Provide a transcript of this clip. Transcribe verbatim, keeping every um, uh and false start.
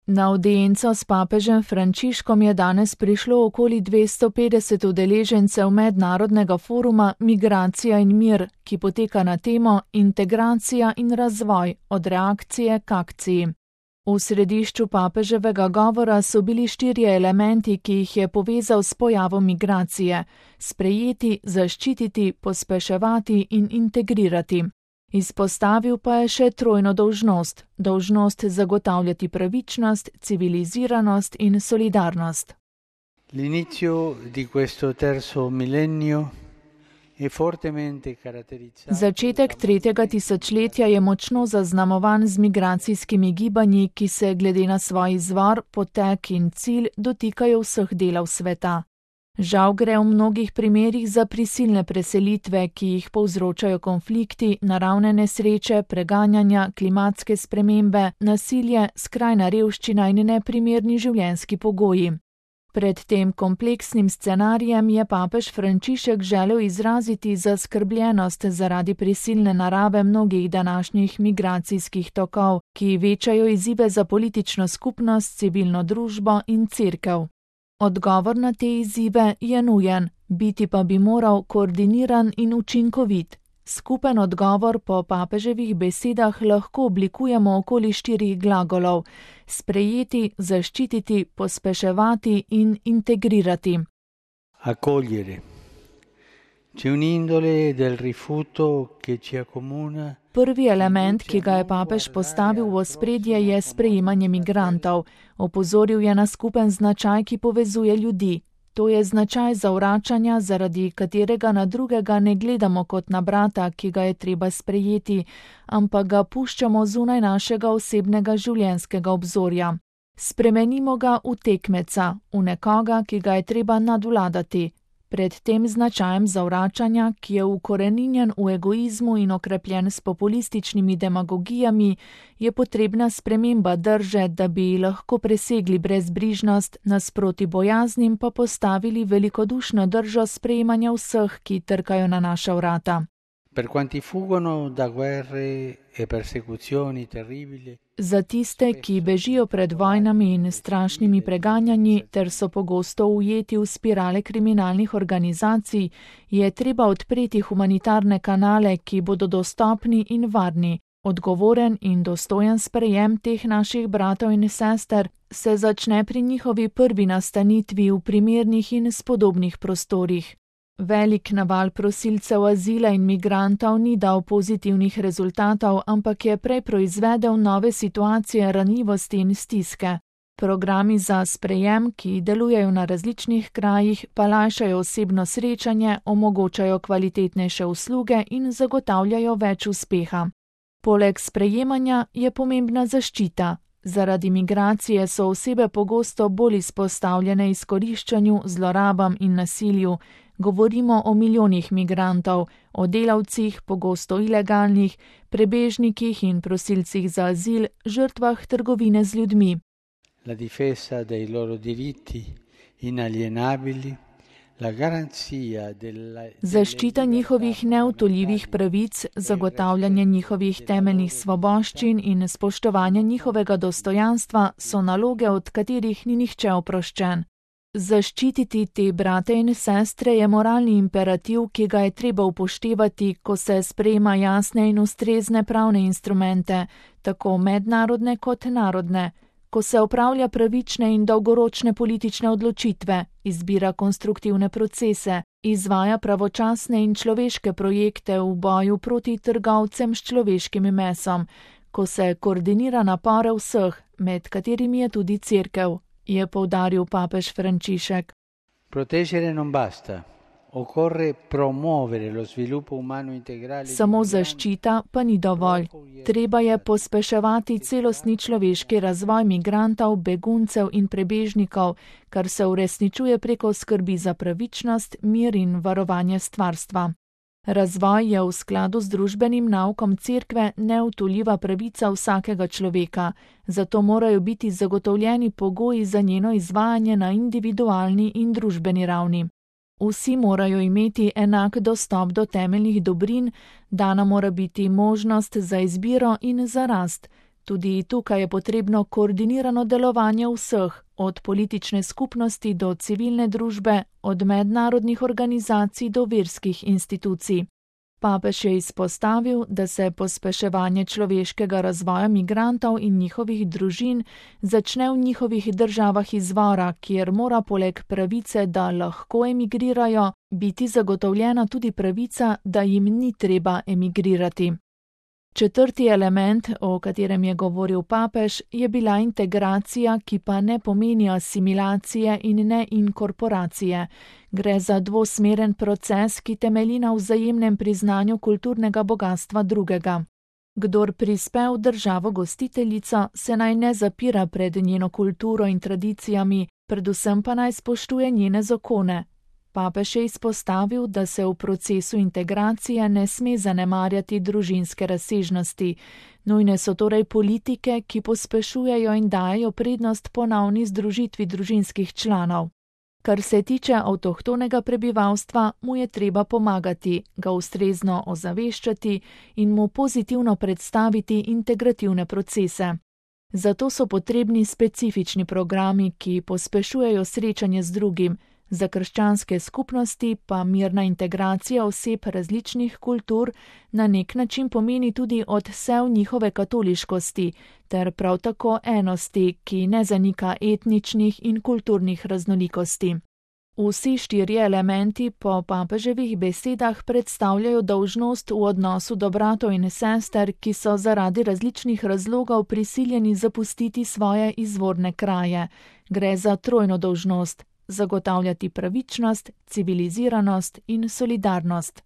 Na avdienco s papežem Frančiškom je danes prišlo okoli dvesto petdeset udeležencev mednarodnega foruma Migracija in mir, ki poteka na temo Integracija in razvoj od reakcije k akciji. V središču papeževega govora so bili štirje elementi, ki jih je povezal s pojavom migracije: sprejeti, zaščititi, pospeševati in integrirati. Izpostavil pa je še trojno dolžnost, dolžnost zagotavljati pravičnost, civiliziranost in solidarnost. L'inizio di questo terzo millennio è fortemente caratterizzato. Začetek tretjega tisočletja je močno zaznamovan z migracijskimi gibanji, ki se glede na svoj izvor, potek in cilj dotikajo vseh delov sveta. Žal gre v mnogih primerih za prisilne preselitve, ki jih povzročajo konflikti, naravne nesreče, preganjanja, klimatske spremembe, nasilje, skrajna revščina in neprimerni življenjski pogoji. Pred tem kompleksnim scenarijem je papež Frančišek želel izraziti zaskrbljenost zaradi prisilne narave mnogih današnjih migracijskih tokov, ki večajo izzive za politično skupnost, civilno družbo in cerkev. Odgovor na te izzive je nujen, biti pa bi moral koordiniran in učinkovit. Skupen odgovor po papeževih besedah lahko oblikujemo okoli štirih glagolov: sprejeti, zaščititi, pospeševati in integrirati. Accogliere. C'è un'indole del rifiuto che ci accomuna. Prvi element, ki ga je papež postavil v ospredje, je sprejemanje migrantov. Opozoril je na skupen značaj, ki povezuje ljudi. To je značaj zavračanja, zaradi katerega na drugega ne gledamo kot na brata, ki ga je treba sprejeti, ampak ga puščamo zunaj našega osebnega življenjskega obzorja. Spremenimo ga v tekmeca, v nekoga, ki ga je treba nadvladati. Pred tem značajem zavračanja, ki je ukoreninjen v egoizmu in okrepljen s populističnimi demagogijami, je potrebna sprememba drže, da bi lahko presegli brezbrižnost, nasproti bojaznim pa postavili velikodušno držo sprejemanja vseh, ki trkajo na naša vrata. Per quanti fuggono da guerre e persecuzioni terribili. Za tiste, ki bežijo pred vojnami in strašnimi preganjanji ter so pogosto ujeti v spirale kriminalnih organizacij, je treba odpreti humanitarne kanale, ki bodo dostopni in varni. Odgovoren in dostojen sprejem teh naših bratov in sester se začne pri njihovi prvi nastanitvi v primernih in spodobnih prostorih. Velik naval prosilcev azila in migrantov ni dal pozitivnih rezultatov, ampak je prej proizvedel nove situacije ranljivosti in stiske. Programi za sprejem, ki delujejo na različnih krajih, pa lajšajo osebno srečanje, omogočajo kvalitetnejše usluge in zagotavljajo več uspeha. Poleg sprejemanja je pomembna zaščita. Zaradi migracije so osebe pogosto bolj izpostavljene izkoriščanju, zlorabam in nasilju. Govorimo o milijonih migrantov, o delavcih, pogosto ilegalnih, prebežnikih in prosilcih za azil, žrtvah trgovine z ljudmi. La difesa dei loro diritti inalienabili, la garanzia della. Zaščita njihovih neodtujljivih pravic, zagotavljanje njihovih temeljnih svoboščin in spoštovanje njihovega dostojanstva so naloge, od katerih ni nihče oproščen. Zaščititi te brate in sestre je moralni imperativ, ki ga je treba upoštevati, ko se sprejema jasne in ustrezne pravne instrumente, tako mednarodne kot narodne, ko se opravlja pravične in dolgoročne politične odločitve, izbira konstruktivne procese, izvaja pravočasne in človeške projekte v boju proti trgovcem s človeškim mesom, ko se koordinira napore vseh, med katerimi je tudi cerkev, je poudaril papež Frančišek. Proteggere non basta. Occorre promuovere lo sviluppo umano integrale. Samo zaščita pa ni dovolj. Treba je pospeševati celostni človeški razvoj migrantov, beguncev in prebežnikov, kar se uresničuje preko skrbi za pravičnost, mir in varovanje stvarstva. Razvoj je v skladu z družbenim naukom cerkve neodtujljiva pravica vsakega človeka, zato morajo biti zagotovljeni pogoji za njeno izvajanje na individualni in družbeni ravni. Vsi morajo imeti enak dostop do temeljnih dobrin, dana mora biti možnost za izbiro in za rast. Tudi tukaj je potrebno koordinirano delovanje vseh, od politične skupnosti do civilne družbe, od mednarodnih organizacij do verskih institucij. Papež je izpostavil, da se pospeševanje človeškega razvoja migrantov in njihovih družin začne v njihovih državah izvora, kjer mora poleg pravice, da lahko emigrirajo, biti zagotovljena tudi pravica, da jim ni treba emigrirati. Četrti element, o katerem je govoril papež, je bila integracija, ki pa ne pomeni asimilacije in ne inkorporacije. Gre za dvosmeren proces, ki temelji na vzajemnem priznanju kulturnega bogastva drugega. Kdor prispe v državo gostiteljico, se naj ne zapira pred njeno kulturo in tradicijami, predvsem pa naj spoštuje njene zakone. Papež je izpostavil, da se v procesu integracije ne sme zanemarjati družinske razsežnosti. Nujne so torej politike, ki pospešujejo in dajejo prednost ponovni združitvi družinskih članov. Kar se tiče avtohtonega prebivalstva, mu je treba pomagati, ga ustrezno ozaveščati in mu pozitivno predstaviti integrativne procese. Zato so potrebni specifični programi, ki pospešujejo srečanje z drugim, za krščanske skupnosti pa mirna integracija oseb različnih kultur na nek način pomeni tudi odsev njihove katoliškosti, ter prav tako enosti, ki ne zanika etničnih in kulturnih raznolikosti. Vsi štirje elementi po papeževih besedah predstavljajo dolžnost v odnosu do bratov in sester, ki so zaradi različnih razlogov prisiljeni zapustiti svoje izvorne kraje. Gre za trojno dolžnost: zagotavljati pravičnost, civiliziranost in solidarnost.